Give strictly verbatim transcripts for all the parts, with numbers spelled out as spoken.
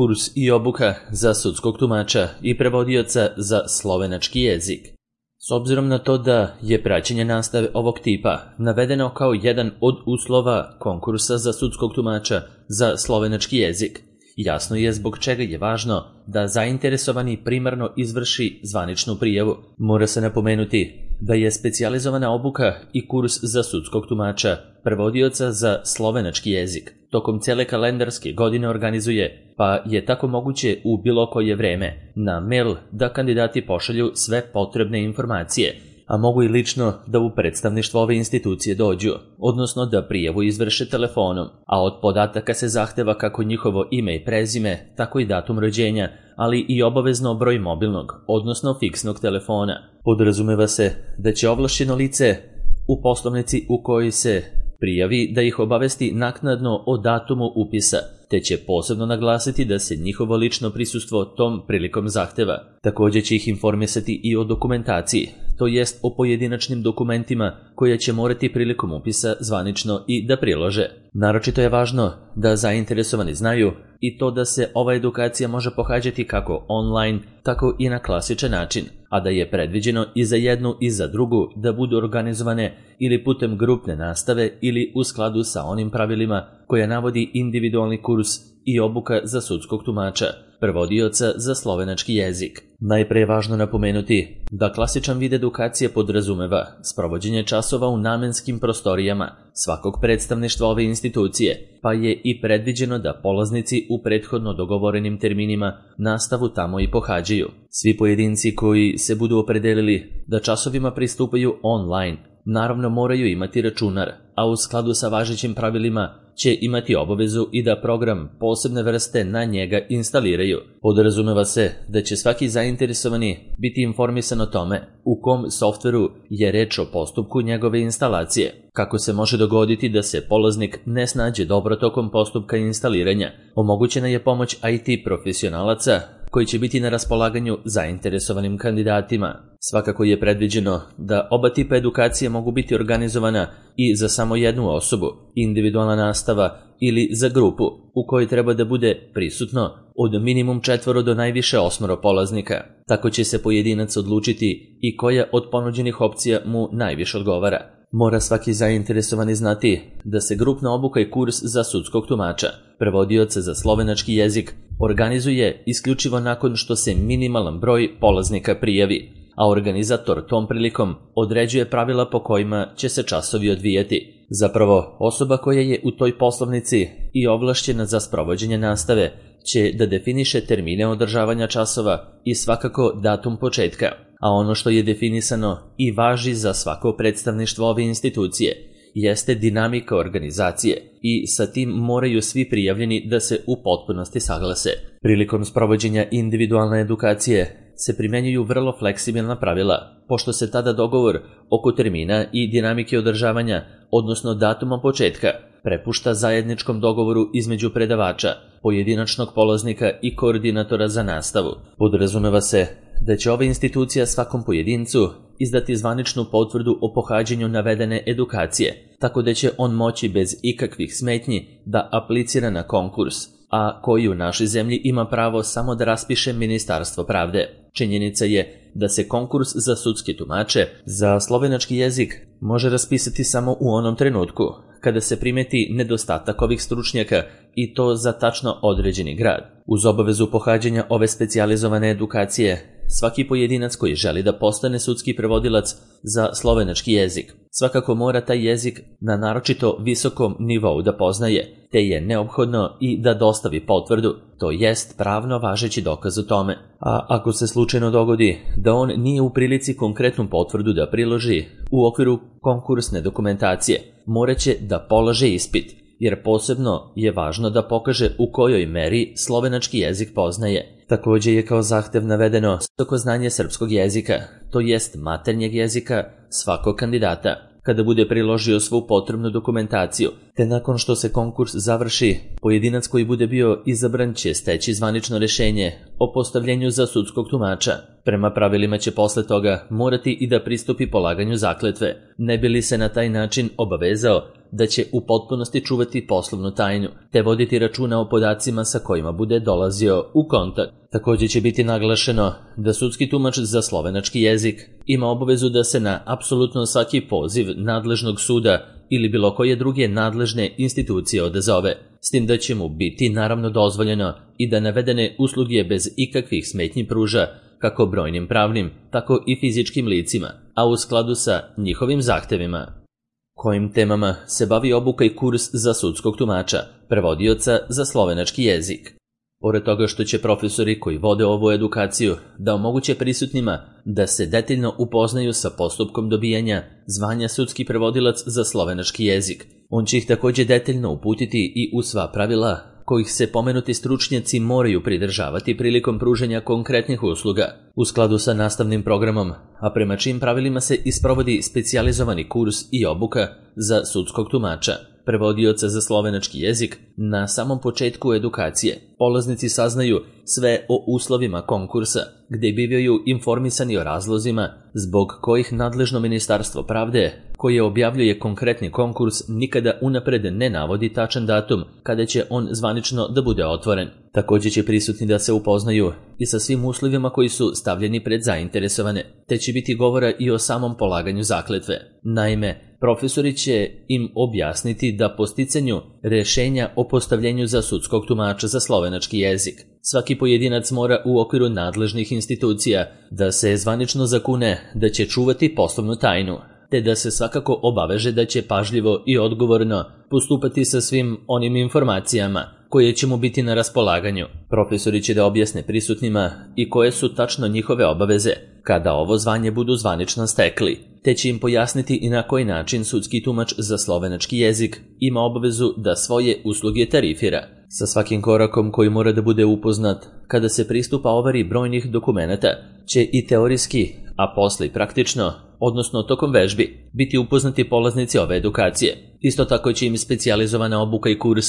kurs i obuka za sudskog tumača i prevodioca za slovenački jezik. S obzirom na to da je praćenje nastave ovog tipa navedeno kao jedan od uslova konkursa za sudskog tumača za slovenački jezik, jasno je zbog čega je važno da zainteresovani primarno izvrši zvaničnu prijavu. Mora se napomenuti da je specijalizovana obuka i kurs za sudskog tumača prevodioca za slovenački jezik tokom cele kalendarske godine organizuje, pa je tako moguće u bilo koje vreme na mail da kandidati pošalju sve potrebne informacije, a mogu i lično da u predstavništvo ove institucije dođu, odnosno da prijavu izvrše telefonom, a od podataka se zahteva kako njihovo ime i prezime, tako i datum rođenja, ali i obavezno broj mobilnog, odnosno fiksnog telefona. Podrazumeva se da će ovlašćeno lice u poslovnici u kojoj se prijavi da ih obavesti naknadno o datumu upisa, te će posebno naglasiti da se njihovo lično prisustvo tom prilikom zahteva. Također će ih informisati i o dokumentaciji, to jest o pojedinačnim dokumentima koje će morati prilikom upisa zvanično i da prilože. Naročito je važno da zainteresovani znaju i to da se ova edukacija može pohađati kako online, tako i na klasičan način, a da je predviđeno i za jednu i za drugu da budu organizovane ili putem grupne nastave ili u skladu sa onim pravilima koja navodi individualni kurs i obuka za sudskog tumača, prevodioca za slovenački jezik. Najpre je važno napomenuti da klasičan vid edukacije podrazumeva sprovođenje časova u namenskim prostorijama svakog predstavništva ove institucije, pa je i predviđeno da polaznici u prethodno dogovorenim terminima nastavu tamo i pohađaju. Svi pojedinci koji se budu opredelili da časovima pristupaju online, naravno moraju imati računar, a u skladu sa važećim pravilima će imati obavezu i da program posebne vrste na njega instaliraju. Podrazumeva se da će svaki zainteresovani biti informisan o tome u kom softveru je reč o postupku njegove instalacije. Kako se može dogoditi da se polaznik ne snađe dobro tokom postupka instaliranja, omogućena je pomoć I T profesionalaca koji će biti na raspolaganju zainteresovanim kandidatima. Svakako je predviđeno da oba tipa edukacije mogu biti organizovana i za samo jednu osobu, individualna nastava ili za grupu u kojoj treba da bude prisutno od minimum četvoro do najviše osmoro polaznika. Tako će se pojedinac odlučiti i koja od ponuđenih opcija mu najviše odgovara. Mora svaki zainteresovani znati da se grupna obuka i kurs za sudskog tumača, prevodioca za slovenački jezik, organizuje isključivo nakon što se minimalan broj polaznika prijavi, a organizator tom prilikom određuje pravila po kojima će se časovi odvijati. Zapravo, osoba koja je u toj poslovnici i ovlašćena za sprovođenje nastave će da definiše termine održavanja časova i svakako datum početka, a ono što je definisano i važi za svako predstavništvo ove institucije jeste dinamika organizacije i sa tim moraju svi prijavljeni da se u potpunosti saglase. Prilikom sprovođenja individualne edukacije se primenjuju vrlo fleksibilna pravila, pošto se tada dogovor oko termina i dinamike održavanja, odnosno datuma početka, prepušta zajedničkom dogovoru između predavača, pojedinačnog polaznika i koordinatora za nastavu. Podrazumeva se da će ova institucija svakom pojedincu izdati zvaničnu potvrdu o pohađanju navedene edukacije, tako da će on moći bez ikakvih smetnji da aplicira na konkurs, a koji u našoj zemlji ima pravo samo da raspiše Ministarstvo pravde. Činjenica je da se konkurs za sudske tumače za slovenački jezik može raspisati samo u onom trenutku kada se primeti nedostatak ovih stručnjaka i to za tačno određeni grad. Uz obavezu pohađanja ove specijalizovane edukacije, svaki pojedinac koji želi da postane sudski prevodilac za slovenački jezik svakako mora taj jezik na naročito visokom nivou da poznaje, te je neophodno i da dostavi potvrdu, to jest pravno važeći dokaz o tome. A ako se slučajno dogodi da on nije u prilici konkretnu potvrdu da priloži u okviru konkursne dokumentacije, moraće da polaže ispit, jer posebno je važno da pokaže u kojoj meri slovenački jezik poznaje. Također je kao zahtev navedeno visoko znanje srpskog jezika, to jest maternjeg jezika svakog kandidata, kada bude priložio svu potrebnu dokumentaciju, te nakon što se konkurs završi, pojedinac koji bude bio izabran će steći zvanično rješenje o postavljenju za sudskog tumača. Prema pravilima će posle toga morati i da pristupi polaganju zakletve, ne bi li se na taj način obavezao da će u potpunosti čuvati poslovnu tajnu, te voditi računa o podacima sa kojima bude dolazio u kontakt. Također će biti naglašeno da sudski tumač za slovenački jezik ima obavezu da se na apsolutno svaki poziv nadležnog suda ili bilo koje druge nadležne institucije odazove, s tim da će mu biti naravno dozvoljeno i da navedene usluge bez ikakvih smetnji pruža kako brojnim pravnim, tako i fizičkim licima, a u skladu sa njihovim zahtevima. Kojim temama se bavi obuka i kurs za sudskog tumača, prevodioca za slovenački jezik? Pored toga što će profesori koji vode ovu edukaciju da omoguće prisutnima da se detaljno upoznaju sa postupkom dobijanja zvanja sudski prevodilac za slovenački jezik, on će ih također detaljno uputiti i u sva pravila kojih se pomenuti stručnjaci moraju pridržavati prilikom pružanja konkretnih usluga u skladu sa nastavnim programom, a prema čim pravilima se isprovodi specijalizovani kurs i obuka za sudskog tumača, prevodioca za slovenački jezik. Na samom početku edukacije polaznici saznaju sve o uslovima konkursa, gdje bivaju informisani o razlozima zbog kojih nadležno Ministarstvo pravde, koje objavljuje konkretni konkurs, nikada unapred ne navodi tačan datum kada će on zvanično da bude otvoren. Također će prisutni da se upoznaju i sa svim uslovima koji su stavljeni pred zainteresovane, te će biti govora i o samom polaganju zakletve. Naime, profesori će im objasniti da po sticanju rješenja o postavljenju za sudskog tumača za slovenački jezik, svaki pojedinac mora u okviru nadležnih institucija da se zvanično zakune da će čuvati poslovnu tajnu, te da se svakako obaveže da će pažljivo i odgovorno postupati sa svim onim informacijama koje će mu biti na raspolaganju. Profesori će da objasne prisutnima i koje su tačno njihove obaveze kada ovo zvanje budu zvanično stekli, te će im pojasniti i na koji način sudski tumač za slovenački jezik ima obavezu da svoje usluge tarifira. Sa svakim korakom koji mora da bude upoznat kada se pristupa ovari brojnih dokumenata će i teorijski, a posle i praktično, odnosno tokom vežbi, biti upoznati polaznici ove edukacije. Isto tako će im specijalizovana obuka i kurs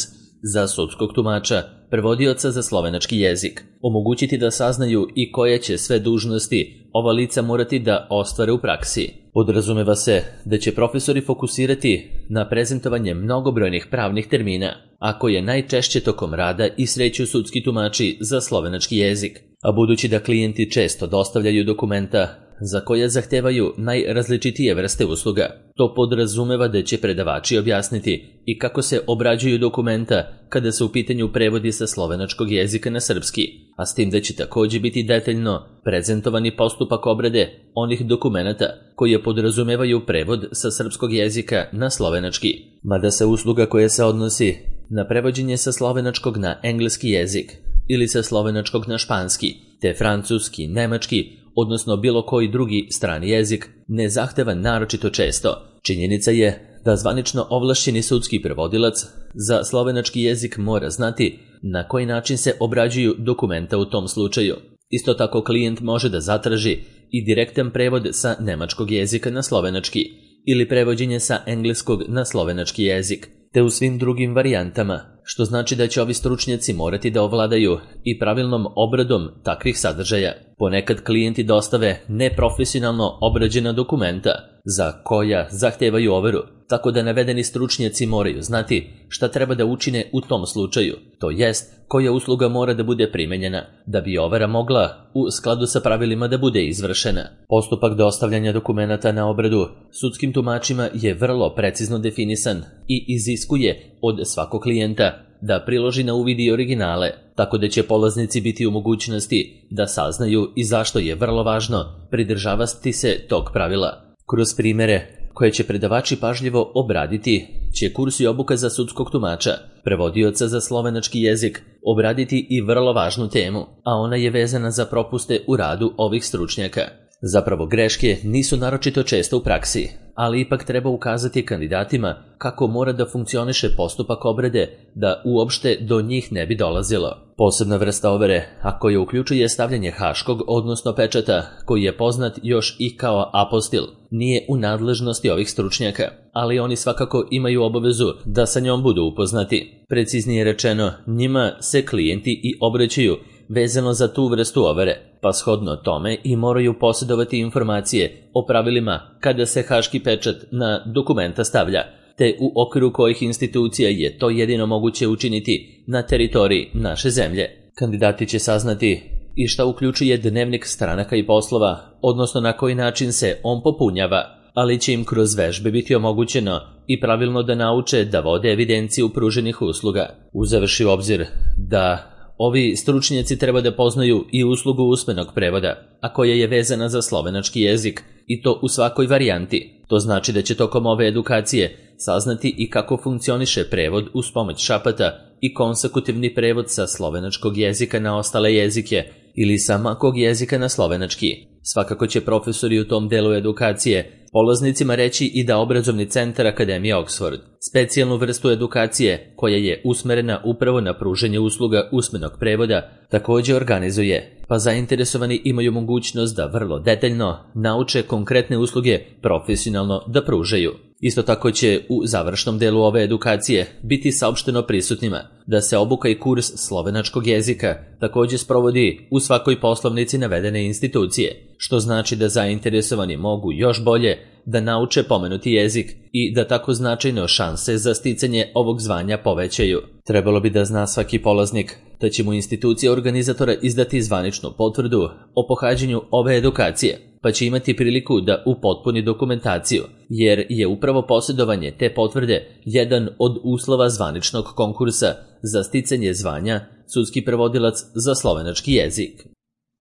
za sudskog tumača, prevodioca za slovenački jezik, omogućiti da saznaju i koje će sve dužnosti ova lica morati da ostvare u praksi. Podrazumeva se da će profesori fokusirati na prezentovanje mnogobrojnih pravnih termina, a koje najčešće tokom rada i sreću sudski tumači za slovenački jezik, a budući da klijenti često dostavljaju dokumenta za koje zahtevaju najrazličitije vrste usluga, to podrazumeva da će predavači objasniti i kako se obrađuju dokumenta kada se u pitanju prevodi sa slovenačkog jezika na srpski, a s tim da će također biti detaljno prezentovani postupak obrade onih dokumenata koje podrazumevaju prevod sa srpskog jezika na slovenački, mada se usluga koja se odnosi na prevođenje sa slovenačkog na engleski jezik ili sa slovenačkog na španski, te francuski, nemački, odnosno bilo koji drugi strani jezik, ne zahteva naročito često. Činjenica je da zvanično ovlašćeni sudski prevodilac za slovenački jezik mora znati na koji način se obrađuju dokumenta u tom slučaju. Isto tako klijent može da zatraži i direktan prevod sa nemačkog jezika na slovenački ili prevođenje sa engleskog na slovenački jezik, te u svim drugim varijantama, što znači da će ovi stručnjaci morati da ovladaju i pravilnom obradom takvih sadržaja. Ponekad klijenti dostave neprofesionalno obrađena dokumenta za koja zahtevaju overu, tako da navedeni stručnjaci moraju znati šta treba da učine u tom slučaju, to jest koja usluga mora da bude primenjena da bi overa mogla u skladu sa pravilima da bude izvršena. Postupak dostavljanja dokumenata na obradu sudskim tumačima je vrlo precizno definisan i iziskuje od svakog klijenta da priloži na uvid i originale, tako da će polaznici biti u mogućnosti da saznaju i zašto je vrlo važno pridržavati se tog pravila. Kroz primjere koje će predavači pažljivo obraditi, će kurs i obuka za sudskog tumača, prevodioca za slovenački jezik, obraditi i vrlo važnu temu, a ona je vezana za propuste u radu ovih stručnjaka. Zapravo greške nisu naročito često u praksi, ali ipak treba ukazati kandidatima kako mora da funkcioniše postupak obrade da uopšte do njih ne bi dolazilo. Posebna vrsta overe, a koja uključuje stavljanje haškog, odnosno pečata, koji je poznat još i kao apostil, nije u nadležnosti ovih stručnjaka, ali oni svakako imaju obavezu da sa njom budu upoznati. Preciznije rečeno, njima se klijenti i obraćaju vezano za tu vrstu overe, pa shodno tome i moraju posjedovati informacije o pravilima kada se haški pečat na dokumenta stavlja, te u okviru kojih institucija je to jedino moguće učiniti na teritoriji naše zemlje. Kandidati će saznati i šta uključuje dnevnik stranaka i poslova, odnosno na koji način se on popunjava, ali će im kroz vežbe biti omogućeno i pravilno da nauče da vode evidenciju pruženih usluga, uzevši u obzir da ovi stručnjaci treba da poznaju i uslugu usmenog prevoda, a koja je vezana za slovenački jezik, i to u svakoj varijanti. To znači da će tokom ove edukacije saznati i kako funkcioniše prevod uz pomoć šapata i konsekutivni prevod sa slovenačkog jezika na ostale jezike ili sa makog jezika na slovenački. Svakako će profesori u tom delu edukacije polaznicima reći i da obrazovni centar Akademije Oxford specijalnu vrstu edukacije koja je usmerena upravo na pruženje usluga usmenog prevoda također organizuje, pa zainteresovani imaju mogućnost da vrlo detaljno nauče konkretne usluge profesionalno da pružaju. Isto tako će u završnom delu ove edukacije biti saopšteno prisutnima da se obuka i kurs slovenačkog jezika također sprovodi u svakoj poslovnici navedene institucije, što znači da zainteresovani mogu još bolje da nauče pomenuti jezik i da tako značajno šanse za sticanje ovog zvanja povećaju. Trebalo bi da zna svaki polaznik da će mu institucija organizatora izdati zvaničnu potvrdu o pohađanju ove edukacije, pa će imati priliku da upotpuni dokumentaciju, jer je upravo posjedovanje te potvrde jedan od uslova zvaničnog konkursa za sticanje zvanja sudski prevodilac za slovenački jezik.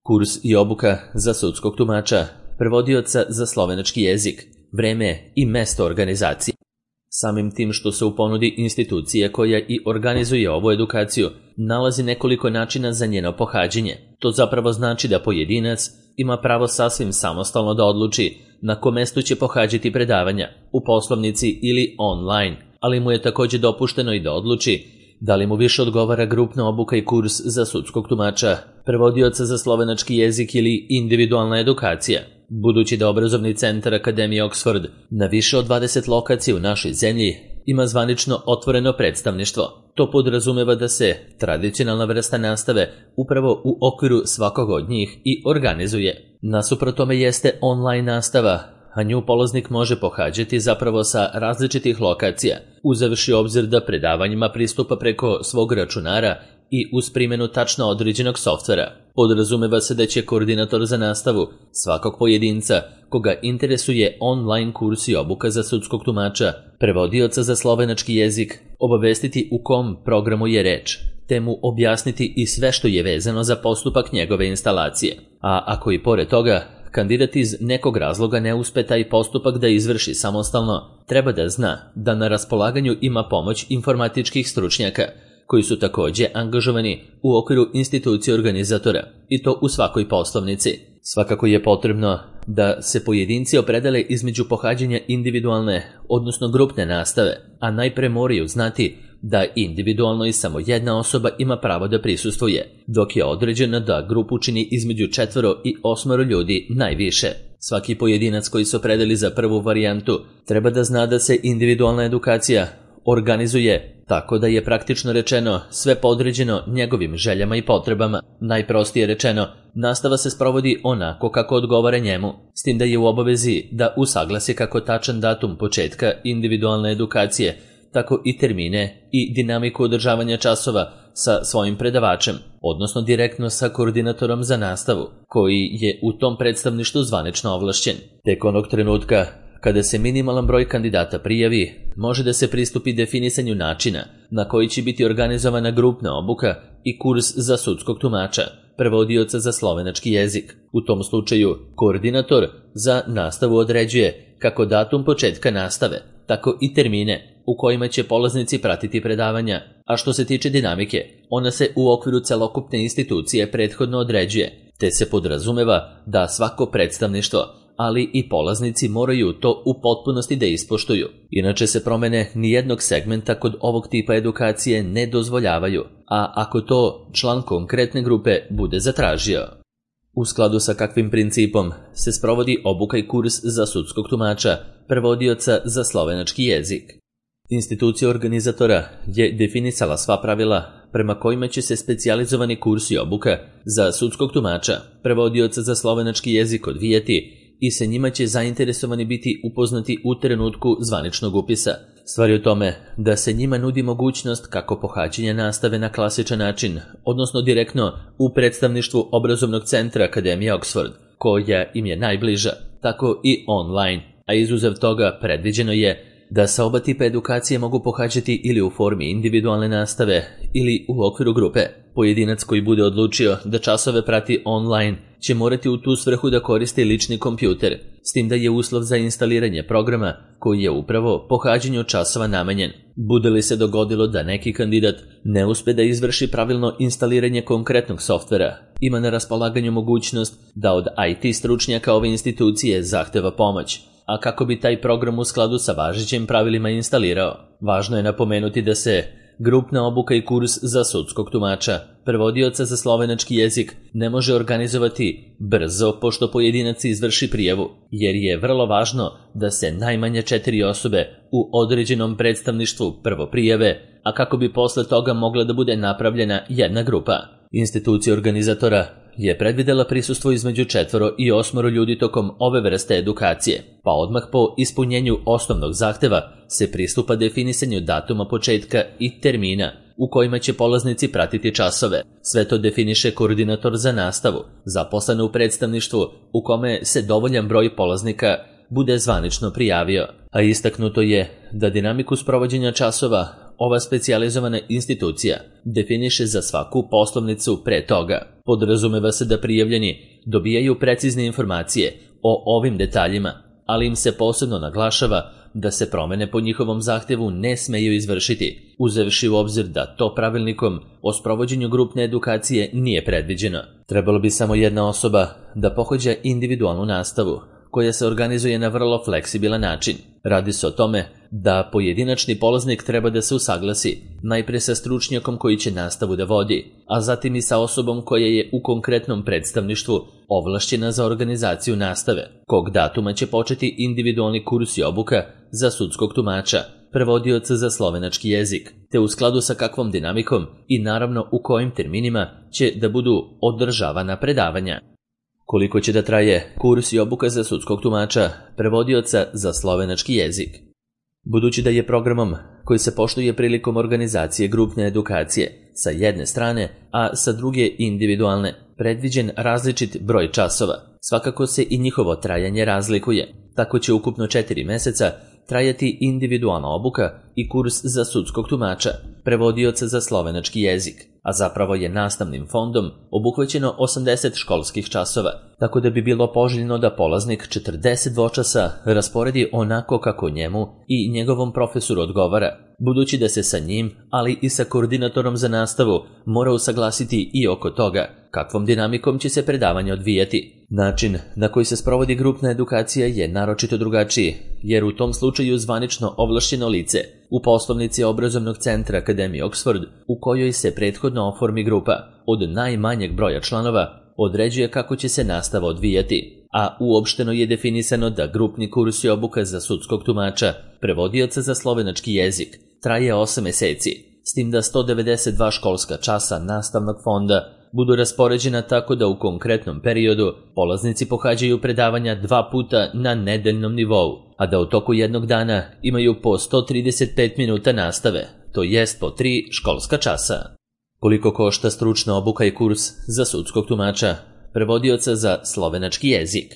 Kurs i obuka za sudskog tumača, prevodioca za slovenački jezik, vreme i mesto organizacije. Samim tim što se u ponudi institucije koja i organizuje ovu edukaciju nalazi nekoliko načina za njeno pohađanje. To zapravo znači da pojedinac ima pravo sasvim samostalno da odluči na kom mestu će pohađati predavanja, u poslovnici ili online, ali mu je također dopušteno i da odluči da li mu više odgovara grupna obuka i kurs za sudskog tumača, prevodioca za slovenački jezik ili individualna edukacija. Budući da obrazovni centar Akademije Oxford na više od dvadeset lokacija u našoj zemlji ima zvanično otvoreno predstavništvo, to podrazumeva da se tradicionalna vrsta nastave upravo u okviru svakog od njih i organizuje. Nasuprot tome jeste online nastava, a nju polaznik može pohađati zapravo sa različitih lokacija, uzevši obzir da predavanjima pristupa preko svog računara i uz primjenu tačno određenog softvera. Podrazumeva se da će koordinator za nastavu svakog pojedinca koga interesuje online kurs i obuka za sudskog tumača, prevodioca za slovenački jezik, obavestiti u kom programu je reč, te mu objasniti i sve što je vezano za postupak njegove instalacije. A ako i pored toga kandidat iz nekog razloga ne uspe taj postupak da izvrši samostalno, treba da zna da na raspolaganju ima pomoć informatičkih stručnjaka, koji su također angažovani u okviru institucije organizatora, i to u svakoj poslovnici. Svakako je potrebno da se pojedinci opredele između pohađanja individualne, odnosno grupne nastave, a najpre moraju znati da individualno i samo jedna osoba ima pravo da prisustvuje, dok je određeno da grupu čini između četvoro i osmoro ljudi najviše. Svaki pojedinac koji se opredeli za prvu varijantu treba da zna da se individualna edukacija organizuje tako da je praktično rečeno sve podređeno njegovim željama i potrebama. Najprostije rečeno, nastava se sprovodi onako kako odgovara njemu, s tim da je u obavezi da usaglasi kako tačan datum početka individualne edukacije, tako i termine i dinamiku održavanja časova sa svojim predavačem, odnosno direktno sa koordinatorom za nastavu, koji je u tom predstavništvu zvanično ovlašćen. Tek onog trenutka kada se minimalan broj kandidata prijavi, može da se pristupi definisanju načina na koji će biti organizovana grupna obuka i kurs za sudskog tumača, prevodioca za slovenački jezik. U tom slučaju, koordinator za nastavu određuje kako datum početka nastave, tako i termine u kojima će polaznici pratiti predavanja, a što se tiče dinamike, ona se u okviru celokupne institucije prethodno određuje, te se podrazumeva da svako predstavništvo, ali i polaznici moraju to u potpunosti da ispoštuju. Inače se promene nijednog segmenta kod ovog tipa edukacije ne dozvoljavaju, a ako to član konkretne grupe bude zatražio. U skladu sa kakvim principom se sprovodi obuka i kurs za sudskog tumača, prevodioca za slovenački jezik. Institucija organizatora je definisala sva pravila prema kojima će se specijalizovani kurs i obuka za sudskog tumača, prevodioca za slovenački jezik odvijati i sa njima će zainteresovani biti upoznati u trenutku zvaničnog upisa. Stvar je u tome da se njima nudi mogućnost kako pohađanja nastave na klasičan način, odnosno direktno u predstavništvu obrazovnog centra Akademije Oxford, koja im je najbliža, tako i online, a izuzev toga predviđeno je da sa oba tipa edukacije mogu pohađati ili u formi individualne nastave ili u okviru grupe. Pojedinac koji bude odlučio da časove prati online će morati u tu svrhu da koristi lični kompjuter, s tim da je uslov za instaliranje programa koji je upravo pohađanju časova namenjen. Bude li se dogodilo da neki kandidat ne uspe da izvrši pravilno instaliranje konkretnog softvera, ima na raspolaganju mogućnost da od I T stručnjaka ove institucije zahteva pomoć, a kako bi taj program u skladu sa važećim pravilima instalirao. Važno je napomenuti da se grupna obuka i kurs za sudskog tumača, prevodioca za slovenački jezik, ne može organizovati brzo pošto pojedinac izvrši prijavu, jer je vrlo važno da se najmanje četiri osobe u određenom predstavništvu prvo prijave, a kako bi posle toga mogla da bude napravljena jedna grupa. Institucija organizatora je predvidela prisustvo između četvoro i osmoro ljudi tokom ove vrste edukacije, pa odmah po ispunjenju osnovnog zahteva se pristupa definisanju datuma početka i termina u kojima će polaznici pratiti časove. Sve to definiše koordinator za nastavu, zaposlen u predstavništvu u kome se dovoljan broj polaznika bude zvanično prijavio, a istaknuto je da dinamiku sprovođenja časova ova specijalizovana institucija definiše za svaku poslovnicu pre toga. Podrazumeva se da prijavljeni dobijaju precizne informacije o ovim detaljima, ali im se posebno naglašava da se promene po njihovom zahtevu ne smeju izvršiti, uzevši u obzir da to pravilnikom o sprovođenju grupne edukacije nije predviđeno. Trebalo bi samo jedna osoba da pohađa individualnu nastavu, koja se organizuje na vrlo fleksibilan način. Radi se o tome da pojedinačni polaznik treba da se usaglasi najpre sa stručnjakom koji će nastavu da vodi, a zatim i sa osobom koja je u konkretnom predstavništvu ovlašćena za organizaciju nastave, kog datuma će početi individualni kurs i obuka za sudskog tumača, prevodioca za slovenački jezik, te u skladu sa kakvom dinamikom i naravno u kojim terminima će da budu održavana predavanja. Koliko će da traje kurs i obuka za sudskog tumača, prevodioca za slovenački jezik? Budući da je programom koji se poštuje prilikom organizacije grupne edukacije sa jedne strane, a sa druge individualne, predviđen različit broj časova, svakako se i njihovo trajanje razlikuje. Tako će ukupno četiri meseca trajati individualna obuka i kurs za sudskog tumača, prevodioca za slovenački jezik, a zapravo je nastavnim fondom obuhvaćeno osamdeset školskih časova, tako da bi bilo poželjno da polaznik četrdeset dvočasa rasporedi onako kako njemu i njegovom profesoru odgovara, budući da se sa njim, ali i sa koordinatorom za nastavu mora usaglasiti i oko toga kakvom dinamikom će se predavanje odvijati. Način na koji se sprovodi grupna edukacija je naročito drugačiji, jer u tom slučaju zvanično ovlašćeno lice u poslovnici obrazovnog centra Akademije Oxford, u kojoj se prethodno oformi grupa od najmanjeg broja članova, određuje kako će se nastava odvijati, a uopšteno je definisano da grupni kurs i obuka za sudskog tumača, prevodioca za slovenački jezik, traje osam meseci, s tim da sto devedeset dva školska časa nastavnog fonda budu raspoređena tako da u konkretnom periodu polaznici pohađaju predavanja dva puta na nedeljnom nivou, a da u toku jednog dana imaju po sto trideset pet minuta nastave, to jest po tri školska časa. Koliko košta stručna obuka i kurs za sudskog tumača, prevodioca za slovenački jezik?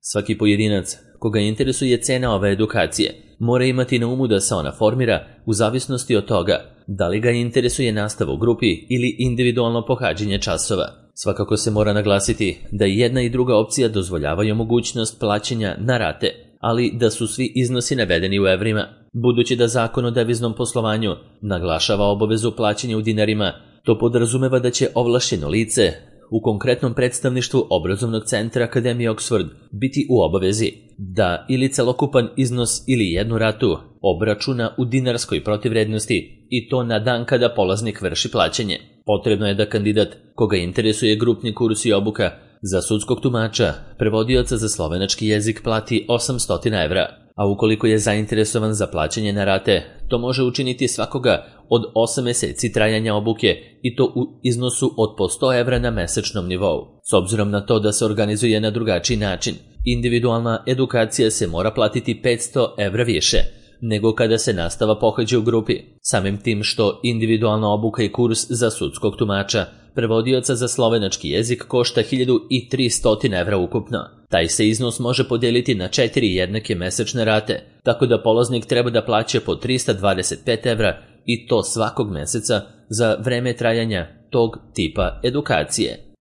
Svaki pojedinac koga interesuje cena ove edukacije mora imati na umu da se ona formira u zavisnosti od toga da li ga interesuje nastava u grupi ili individualno pohađanje časova. Svakako se mora naglasiti da i jedna i druga opcija dozvoljavaju mogućnost plaćanja na rate, ali da su svi iznosi navedeni u evrima. Budući da Zakon o deviznom poslovanju naglašava obavezu plaćanja u dinarima, to podrazumeva da će ovlašćeno lice u konkretnom predstavništvu obrazovnog centra Akademije Oxford biti u obavezi da ili celokupan iznos ili jednu ratu obračuna u dinarskoj protivvrednosti i to na dan kada polaznik vrši plaćanje. Potrebno je da kandidat koga interesuje grupni kurs i obuka za sudskog tumača, prevodioca za slovenački jezik plati osamsto evra. a ukoliko je zainteresovan za plaćanje na rate, to može učiniti svakoga od osam meseci trajanja obuke i to u iznosu od po sto evra na mesečnom nivou. S obzirom na to da se organizuje na drugačiji način, individualna edukacija se mora platiti petsto evra više nego kada se nastava pohađa u grupi. Samim tim što individualna obuka i kurs za sudskog tumača, prevodioca za slovenački jezik košta hiljadu tristo evra ukupno. Taj se iznos može podijeliti na četiri jednake mesečne rate, tako da polaznik treba da plaća po trista dvadeset pet evra i to svakog meseca za vreme trajanja tog tipa edukacije.